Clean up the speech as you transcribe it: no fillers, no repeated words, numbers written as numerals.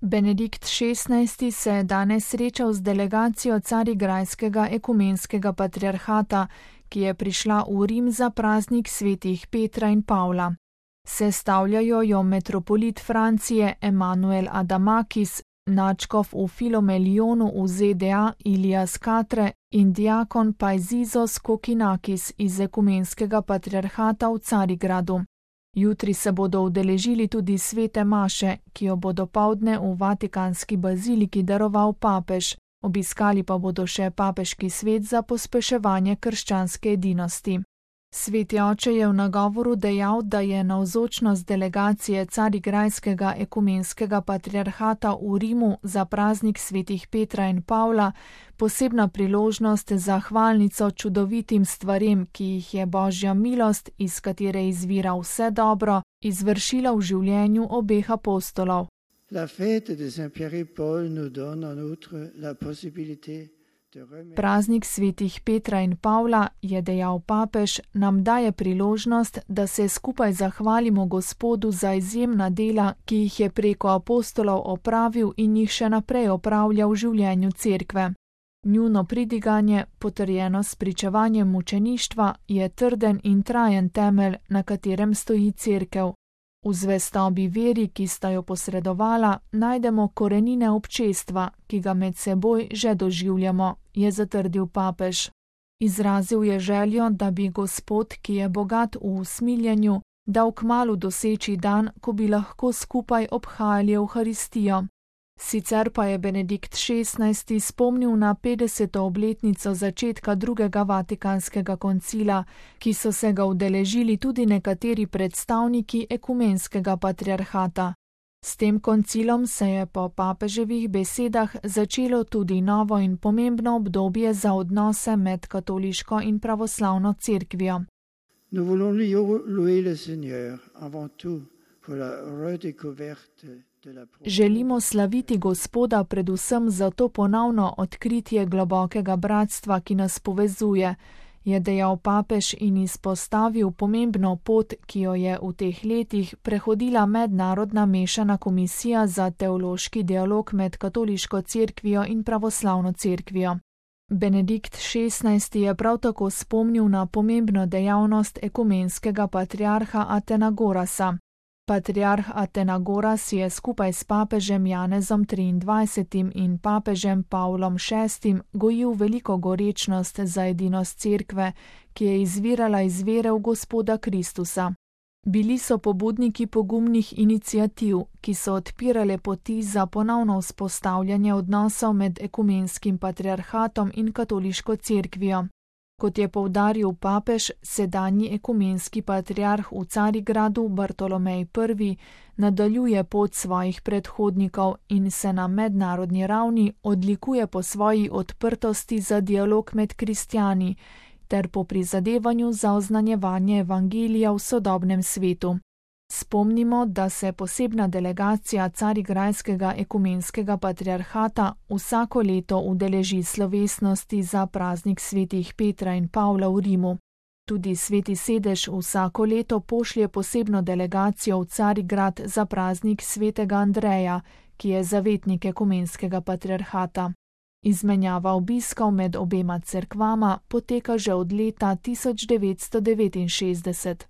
Benedikt XVI. Se je danes srečal z delegacijo Carigrajskega ekumenskega patriarhata, ki je prišla v Rim za praznik svetih Petra in Pavla. Sestavljajo jo metropolit Francije Emanuel Adamakis, nadškof v Filomelionu v ZDA Ilias Katre in diakon Paizizos Kokinakis iz ekumenskega patriarhata v Carigradu. Jutri se bodo udeležili tudi svete maše, ki jo bo dopoldne v Vatikanski baziliki daroval papež, obiskali pa bodo še papeški svet za pospeševanje krščanske edinosti. Sveti oče je v nagovoru dejal, da je navzočnost delegacije Carigrajskega ekumenskega patriarhata v Rimu za praznik svetih Petra in Pavla posebna priložnost za hvalnico čudovitim stvarem, ki jih je Božja milost, iz katere izvira vse dobro, izvršila v življenju obeh apostolov. La fête de Saint-Pierre et Paul nous donne en outre la possibilité. Praznik svetih Petra in Pavla, je dejal papež, nam daje priložnost, da se skupaj zahvalimo Gospodu za izjemna dela, ki jih je preko apostolov opravil in jih še naprej opravlja v življenju cerkve. Njuno pridiganje, potrjeno s pričevanjem mučeništva, je trden in trajen temelj, na katerem stoji cerkev. V zvestobi veri, ki sta jo posredovala, najdemo korenine občestva, ki ga med seboj že doživljamo, je zatrdil papež. Izrazil je željo, da bi Gospod, ki je bogat v usmiljenju, dal kmalu doseči dan, ko bi lahko skupaj obhajali Evharistijo. Sicer pa je Benedikt XVI. Spomnil na 50. obletnico začetka drugega Vatikanskega koncila, ki so se ga udeležili tudi nekateri predstavniki ekumenskega patriarhata. S tem koncilom se je po papeževih besedah začelo tudi novo in pomembno obdobje za odnose med katoliško in pravoslavno cerkvijo. Nous voulons louer le Seigneur avant tout pour la redécouverte. Želimo slaviti Gospoda predvsem za to ponovno odkritje globokega bratstva, ki nas povezuje, je dejal papež in izpostavil pomembno pot, ki jo je v teh letih prehodila mednarodna mešana komisija za teološki dialog med katoliško cerkvijo in pravoslavno cerkvijo. Benedikt XVI. Je prav tako spomnil na pomembno dejavnost ekumenskega patriarha Atenagorasa. Patriarh Atenagoras je skupaj s papežem Janezom XXIII. In papežem Pavlom VI. Gojil veliko gorečnost za edinost cerkve, ki je izvirala iz vere v Gospoda Kristusa. Bili so pobudniki pogumnih iniciativ, ki so odpirale poti za ponovno vzpostavljanje odnosov med ekumenskim patriarhatom in katoliško cerkvijo. Kot je poudaril papež, sedanji ekumenski patriarh v Carigradu Bartolomej I. nadaljuje pot svojih predhodnikov in se na mednarodni ravni odlikuje po svoji odprtosti za dialog med kristjani ter po prizadevanju za oznanjevanje evangelija v sodobnem svetu. Spomnimo, da se posebna delegacija Carigrajskega ekumenskega patriarhata vsako leto udeleži slovesnosti za praznik svetih Petra in Pavla v Rimu. Tudi Sveti sedež vsako leto pošlje posebno delegacijo v Carigrad za praznik svetega Andreja, ki je zavetnik ekumenskega patriarhata. Izmenjava obiskov med obema cerkvama poteka že od leta 1969.